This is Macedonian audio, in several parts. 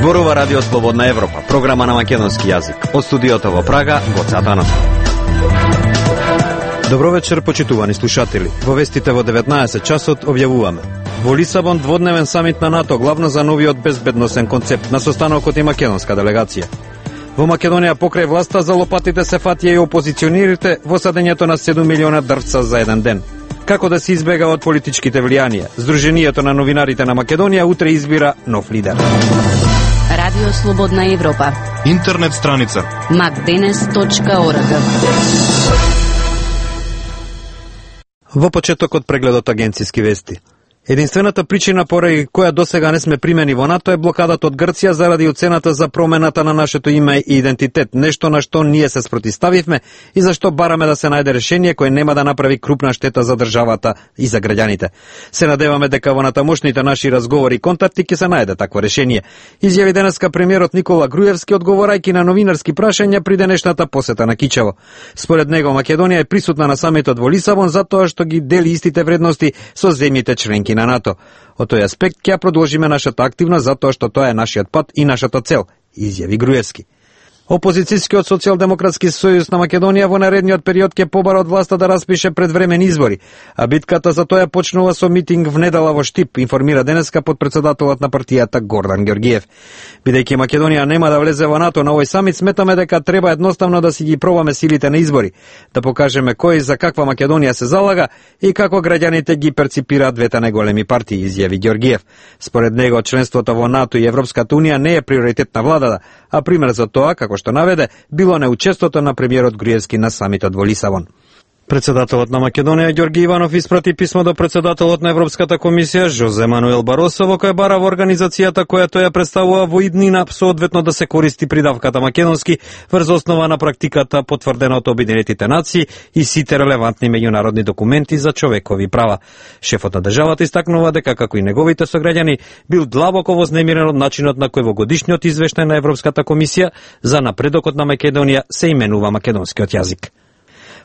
Зборува Радио Слободна Европа, програма на македонски јазик. Од студиото во Прага, Гоце Атанасов. Добро вечер, почитувани слушатели. Во вестите во 19 часот објавуваме: во Лисабон дводневен самит на НАТО, главно за новиот безбедносен концепт. На состанокот и македонска делегација. Во Македонија покрај власта за лопатите се фатија и опозиционерите во садењето на 7 милиона дрвца за еден ден. Како да се избега од политичките влијанија? Сдруженијето на новинарите на Македонија утре избира нов лидер. Радио Слободна Европа. Интернет страница macdenes.org. Во почетокот прегледот агенциски вести. Единствената причина поради која досега не сме примени во НАТО е блокадата од Грција заради оцената за промената на нашето име и идентитет, нешто на што ние се спротиставивме и зашто бараме да се најде решение кое нема да направи крупна штета за државата и за граѓаните. Се надеваме дека во натамошните наши разговори и контакти ќе се најде такво решение. Изјави денеска премиерот Никола Груевски одговорајќи на новинарски прашања при денешната посета на Кичево. Според него Македонија е присутна на самитот во Лисабон затоа што ги дели истите вредности со земјите членки на НАТО. Од тој аспект ќе продолжиме нашата активност затоа што тоа е нашиот пат и нашата цел, изјави Груевски. Опозицијскиот социјалдемократски сојуз на Македонија во наредниот период ќе побара од власта да распише предвремени избори, а битката за тоа почнува со митинг в недела во Штип, информира денеска подпредседателот на партијата Гордан Ѓорѓиев. Бидејќи Македонија нема да влезе во НАТО на овој самит, сметаме дека треба едноставно да си ги пробаме силите на избори, да покажеме кој за каква Македонија се залага и како граѓаните ги перципираат двете најголеми партии, изјави Ѓорѓиев. Според него членството во НАТО и Европската унија не е приоритет на владата, а пример за тоа, како што наведе, било неучеството на премиерот Груевски на самитот во Лисабон. Председателот на Македонија Ѓорги Иванов испрати писмо до председателот на Европската комисија Жозе Мануел Баросо во кој бара во организацијата која тој ја представува во иднина соодветно да се користи придавката македонски врз основа на практиката потврдена од Обединетите нации и сите релевантни меѓународни документи за човекови права. Шефот на државата истакнува дека како и неговите сограѓани бил длабоко вознемирен од начинот на кој во годишниот извештај на Европската комисија за напредокот на Македонија се именува македонскиот јазик.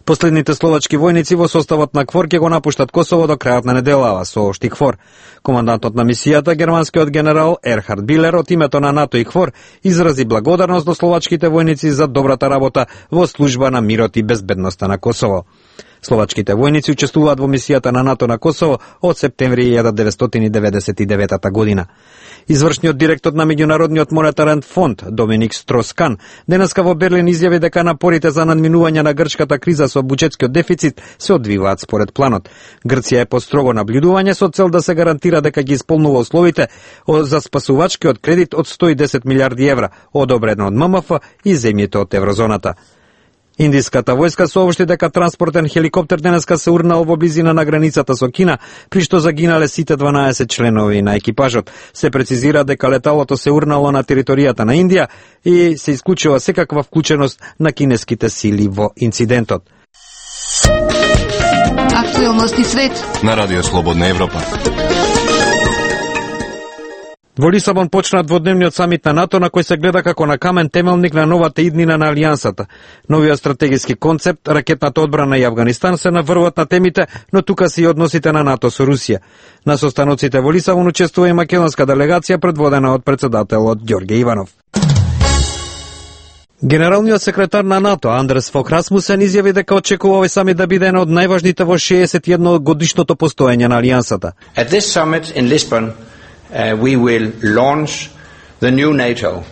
Последните словачки војници во составот на КФОР ќе го напуштат Косово до крајот на неделава, соопшти КФОР. Командантот на мисијата, германскиот генерал Ерхард Билер, од името на НАТО и КФОР, изрази благодарност до словачките војници за добрата работа во служба на мирот и безбедноста на Косово. Словачките војници учествуваат во мисијата на НАТО на Косово од септември 1999 година. Извршниот директор на Меѓународниот монетарен фонд Доминик Строскан денеска во Берлин изјави дека напорите за надминување на грчката криза со буџетскиот дефицит се одвиваат според планот. Грција е под строго наблюдување со цел да се гарантира дека ги исполнува условите за спасувачкиот кредит од 110 милиарди евра, одобрен од ММФ и земјите од еврозоната. Индиската војска соопшти дека транспортен хеликоптер денеска се урнал во близина на границата со Кина, при што загинале сите 12 членови на екипажот. Се прецизира дека леталото се урнало на територијата на Индија и се исклучува секаква вклученост на кинеските сили во инцидентот. Актуелности свет на Радио Слободна Европа. Во Лисабон почна дводневниот самит на НАТО на кој се гледа како на камен темелник на новата иднина на алијансата. Новиот стратегиски концепт, ракетната одбрана и Авганистан се наврват на темите, но тука се и односите на НАТО со Русија. На состаноците во Лисабон учествува и македонска делегација предводена од председателот Ѓорге Иванов. Генералниот секретар на НАТО Андрес Фок Расмусен изјави дека очекува овој самит да биде еден од најважните во 61 годишното постоење на алијансата. At this summit in Lisbon, we will launch the new NATO,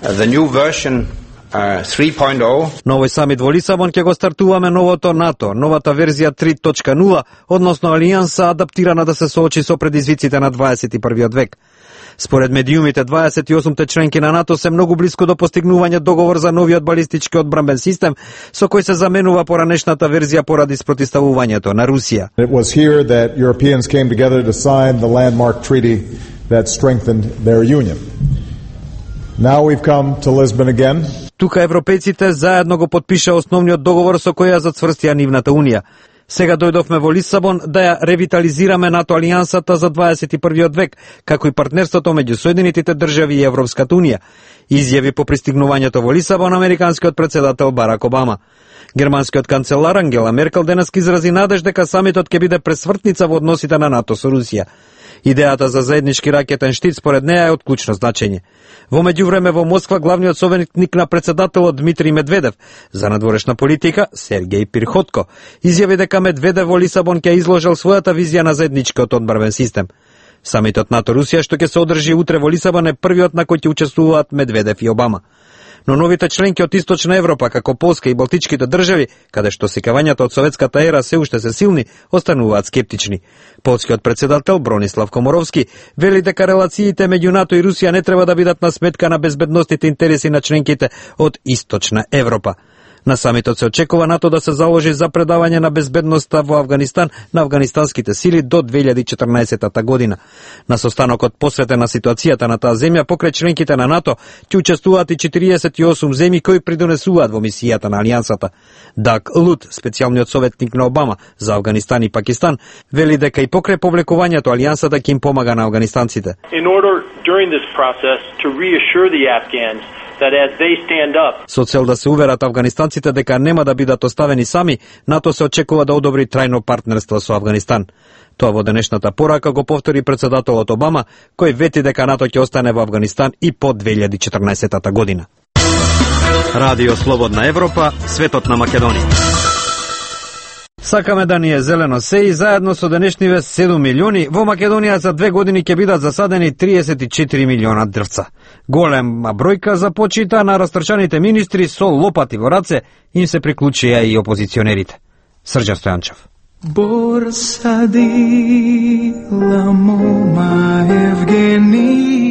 the new version 3.0. На овој самит во Лисабон ќе го стартуваме новото НАТО, новата верзија 3.0, односно алијанса адаптирана да се соочи со предизвиците на 21. век. Според медиумите, 28 членки на НАТО се многу близко до постигнување договор за новиот балистички одбранбен систем, со кој се заменува поранешната верзија поради спротиставувањето на Русија. It was here that Europeans came together to sign the landmark treaty that strengthened their union. Now we've come to Lisbon again. Тука европејците заедно го подпиша основниот договор со кој ја зацврстија нивната унија. Сега дојдовме во Лисабон да ја ревитализираме НАТО алијансата за 21. век, како и партнерството меѓу Соединетите држави и Европската унија, изјави по пристигнувањето во Лисабон американскиот председател Барак Обама. Германскиот канцелар Ангела Меркел денес изрази надеж дека самитот ќе биде пресвртница во односите на НАТО со Русија. Идејата за заеднички ракетен штит според неа е од клучно значење. Во меѓувреме во Москва главниот советник на председателот Дмитрий Медведев за надворешна политика Сергеј Пирхотко изјави дека Медведев во Лисабон ќе изложил својата визија на заедничкиот одбранбен систем. Самитот НАТО-Русија што ќе се одржи утре во Лисабон е првиот на кој ќе учествуваат Медведев и Обама. Но новите членки од Источна Европа, како Полска и Балтичките држави, каде што сикавањата од советската ера се уште се силни, остануваат скептични. Полскиот председател Бронислав Коморовски вели дека релациите меѓу НАТО и Русија не треба да бидат на сметка на безбедносните интереси на членките од Источна Европа. На самитот се очекува НАТО да се заложи за предавање на безбедноста во Авганистан на афганистанските сили до 2014 година. На состанокот посветен на ситуацијата на таа земја покрај членките на НАТО ќе учествуваат и 48 земји кои придонесуваат во мисијата на алијансата. Даг Лут, специјалниот советник на Обама за Авганистан и Пакистан, вели дека и покрај повлекувањето алијансата ќе им помага на афганистанците. In order during this process to reassure the Afghans that as they stand up. Со цел да се уверат афганистанците дека нема да бидат оставени сами, НАТО се очекува да одобри трајно партнерство со Авганистан. Тоа во денешната порака го повтори председателот Обама, кој вети дека НАТО ќе остане во Авганистан и по 2014 година. Радио Слободна Европа, светот на Македонија. Сакаме да ни е зелено се и заедно со денешниве 7 милиони, во Македонија за 2 години ќе бидат засадени 34 милиона дрвца. Голема бројка за почита на растрчаните министри со лопати во раце, им се приклучија и опозиционерите. Срđan Стојанчев. Bor sadila moja Евгенија.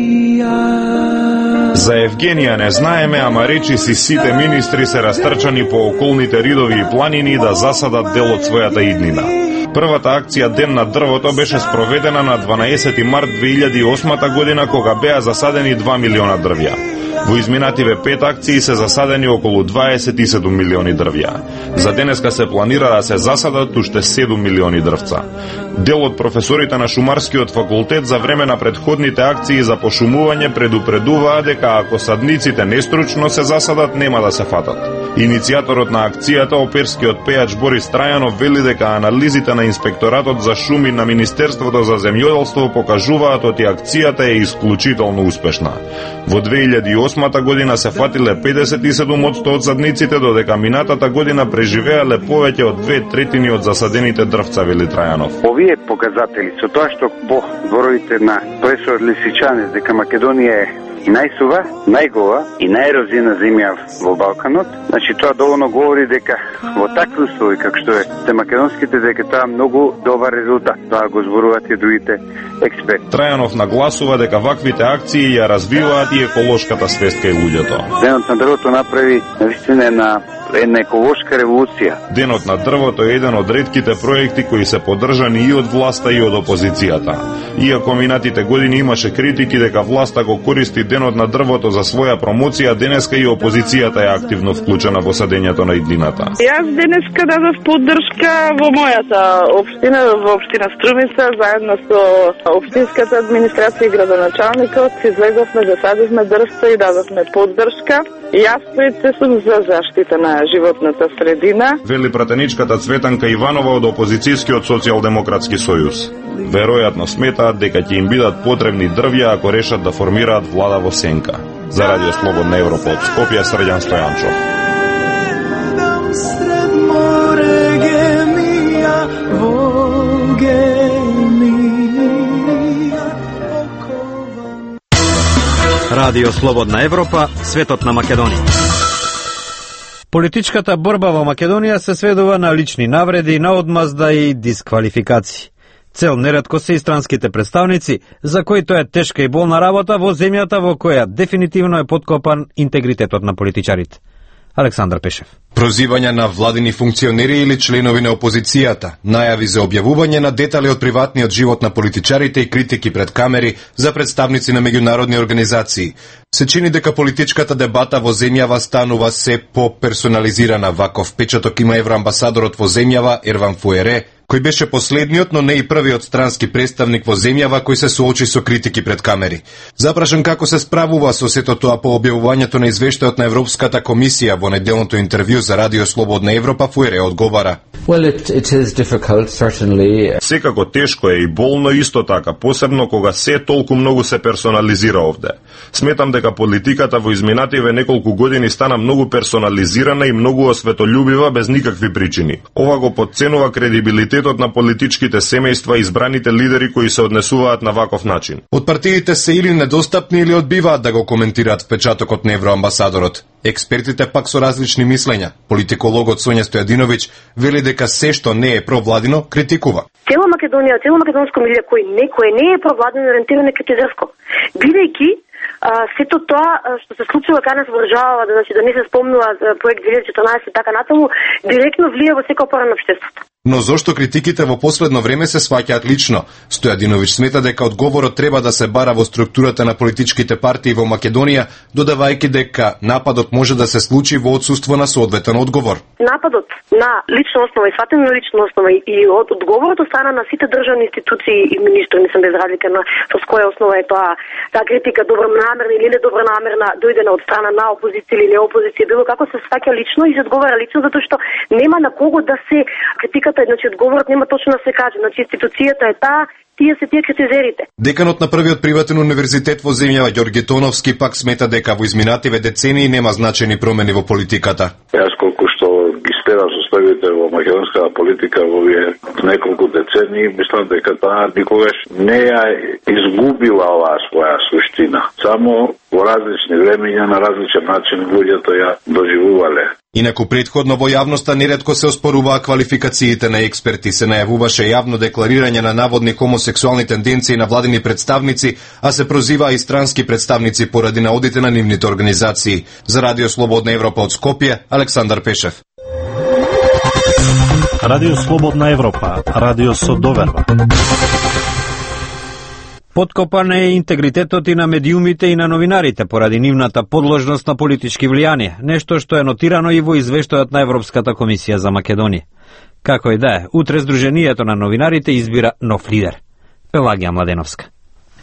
За Евгенија не знаеме, ама речи си сите министри се растрчани по околните ридови и планини да засадат дел од својата иднина. Првата акција Ден на дрвото беше спроведена на 12 март 2008 година, кога беа засадени 2 милиона дрвја. Во изминативе 5 акции се засадени околу 27 милиони дрвја. За денеска се планира да се засадат уште 7 милиони дрвца. Дел од професорите на Шумарскиот факултет за време на предходните акции за пошумување предупредуваа дека ако садниците нестручно се засадат, нема да се фатат. Иницијаторот на акцијата, оперскиот пејач Борис Трајанов, вели дека анализите на Инспекторатот за шуми на Министерството за земјоделство покажуваат оти акцијата е исклучително успешна. Во 2008 година се фатиле 57% од садниците, додека минатата година преживеале повеќе од 2/3 од засадените дрвца, вели Трајанов. Овие показатели со тоа што по зборовите на професор Лисичанец дека Македонија е и најсува, најгова и најерозиена земја во Балканот, значи тоа доволно говори дека во такви услови како што е македонските, дека тоа многу добар резултат. Тоа го зборуваат и другите експерти. Трајанов нагласува дека ваквите акции ја развиваат и еколошката свест кај луѓето. Денот на дрвото направи навистина една еколошка револуција. Денот на дрвото е еден од ретките проекти кои се поддржани и од власта и од опозицијата. Иако минатите години имаше критики дека власта го користи Денот на дрвото за своја промоција, денеска и опозицијата е активно вклучена во садењето на иднината. Јас денеска дадов поддршка во мојата општина, во општина Струмица, заедно со општинската администрација и градоначалникот, излеговме, засадивме дрвца и дадовме поддршка. Јас се сум за заштита на животната средина. Вели пратеничката Цветанка Иванова од опозицијскиот социјалдемократски сојуз. Веројатно сметаат дека ќе им бидат потребни дрвја ако решат да формираат влада во сенка. За Радио Слободна Европа од Скопје, Срđan Стојанчов. Радио Слободна Европа, светот на Македонија. Политичката борба во Македонија се сведува на лични навреди, на одмазда и дисквалификации. Цел неретко се и странските представници, за кои тоа е тешка и болна работа во земјата во која дефинитивно е подкопан интегритетот на политичарите. Александар Пешев. Прозивања на владини функционери или членови на опозицијата, најави за објавување на детали од приватниот живот на политичарите и критики пред камери за представници на меѓународни организации. Се чини дека политичката дебата во земјава станува се по-персонализирана. Ваков печаток има евроамбасадорот во земјава Ерван Фуере, кој беше последниот, но не и првиот странски представник во земјава кој се соочи со критики пред камери. Запрашан како се справува со сето тоа по објавувањето на извештајот на Европската комисија во неделното интервју за Радио Слободна Европа, Фуере одговара. Well, it is difficult, certainly. Секако тешко е и болно исто така, посебно кога се толку многу се персонализира овде. Сметам дека политиката во изминативе неколку години стана многу персонализирана и многу осветољубива без никакви причини. Ова го подценува кредибилитетот на политичките семејства и избраните лидери кои се однесуваат на ваков начин. Од партиите се или недостапни или одбиваат да го коментираат впечатокот на евроамбасадорот. Експертите пак со различни мислења. Политикологот Сонја Стојадиновиќ вели дека се што не е провладино критикува. Цела Македонија, цело македонско милје кој не е провладино ориентирано е критизерско. Бидејќи сето тоа што се случува кај нас во државава, значи да не се спомнува проект 2014 и така натаму, директно влија во секој пора на општеството. Но зошто критиките во последно време се сваќаат лично? Стојадиновиќ смета дека одговорот треба да се бара во структурата на политичките партии во Македонија, додавајќи дека нападот може да се случи во отсуство на соодветен одговор. Нападот на лична основа и сватен на лична основа и одговорот од страна на сите државни институции и министри, мислам без разлика на со која основа е таа критика добронамерна или недобронамерна дојдена од страна на опозиција или неопозиција, било како се сваќа лично и се одговара лично, затоа што нема на кого да се критиката, значи одговорот нема точно да се каже, значи институцијата е таа, тие се тие критизерите. Деканот на првиот приватен универзитет во земјава Ѓорги Тоновски пак смета дека во изминативе децении нема значајни промени во политиката. Јас колку што ги следам составите во македонската политика во овие неколку децении, мислам дека таа никогаш не ја изгубила оваа своја суштина. Само во различни времења на различен начин луѓето ја доживувале. Инаку претходно во јавноста неретко се оспоруваа квалификациите на експерти, се најавуваше јавно декларирање на наводни хомосексуални тенденции на владини представници, а се прозиваа и странски представници поради наодите на нивните организации. За Радио Слободна Европа од Скопје, Александар Пешев. Радио Слободна Европа, радио со доверба. Подкопан е интегритетот и на медиумите и на новинарите поради нивната подложност на политички влијание, нешто што е нотирано и во извештајот на Европската комисија за Македонија. Како и да е, утре Сдруженијето на новинарите избира нов лидер. Пелагија Младеновска.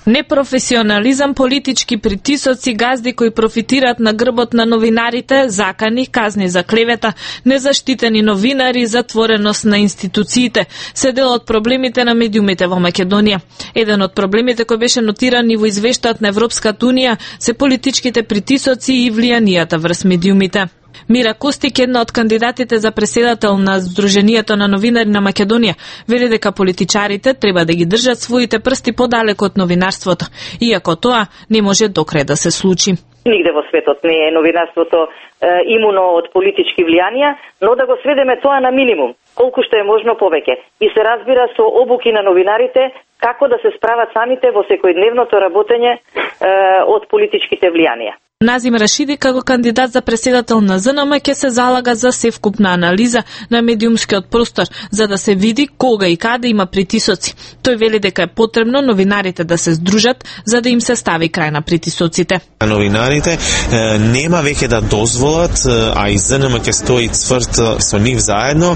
Непрофесионализам, политички притисоци, газди кои профитираат на грбот на новинарите, закани, казни за клевета, незаштитени новинари, затвореност на институциите, се дел од проблемите на медиумите во Македонија. Еден од проблемите кој беше нотиран и во извештајот на Европската унија се политичките притисоци и влијанијата врз медиумите. Мира Костик, една од кандидатите за преседател на Сдруженијето на новинари на Македонија, вели дека политичарите треба да ги држат своите прсти подалеку од новинарството, иако тоа не може докрај да се случи. Нигде во светот не е новинарството имуно од политички влијанија, но да го сведеме тоа на минимум, колку што е можно повеќе. И се разбира со обуки на новинарите како да се справат самите во секојдневното работење од политичките влијанија. Назим Рашиди, како кандидат за преседател на ЗНМ, ќе се залага за севкупна анализа на медиумскиот простор, за да се види кога и каде има притисоци. Тој вели дека е потребно новинарите да се здружат, за да им се стави крај на притисоците. Новинарите нема веќе да дозволат, а и ЗНМ ќе стои цврт со нив заедно,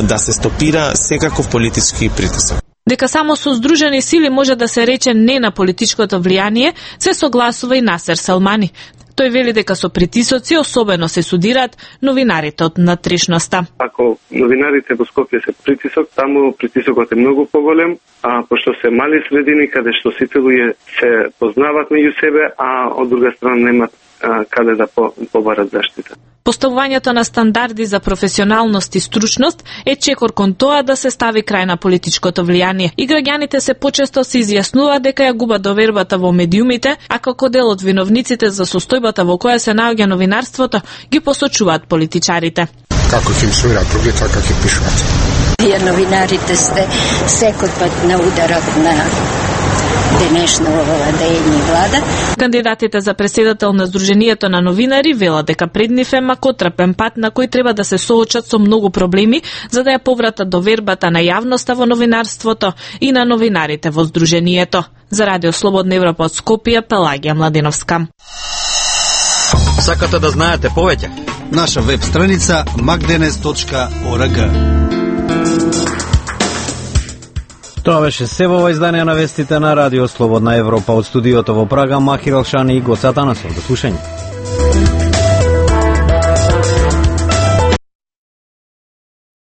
да се стопира секаков политички притисок. Дека само со здружени сили може да се рече не на политичкото влијание, се согласува и Насер Салмани. Тој вели дека со притисоци особено се судираат новинарите од натрешноста. Ако новинарите во Скопје се притисок, таму притисокот е многу поголем, а пошто се мали средини каде што сите луѓе се познаваат меѓу себе, а од друга страна немат каде да побарат заштита. Поставувањето на стандарди за професионалност и стручност е чекор кон тоа да се стави крај на политичкото влијание. И граѓаните се почесто се изјаснуваат дека ја губат довербата во медиумите, а како дел од виновниците за состојбата во која се наоѓа новинарството, ги посочуваат политичарите. Како ќе им свират други, така ќе пишуват. Вие новинарите сте секој пат на ударот на денешно владење влада. Кандидатите за преседател на Сдруженијето на новинари велат дека пред нив е макотрпен пат на кој треба да се соочат со многу проблеми за да ја повратат довербата на јавноста во новинарството и на новинарите во Сдруженијето. За Радио Слободна Европа од Скопје, Пелагија Младеновска. Сакате да знаете повеќе? Наша веб страница magdenes.org. Тоа беше се во издание на вестите на Радио Слободна Европа од студиото во Прага, Махир Алшани и Гоце Атанасов. До слушање.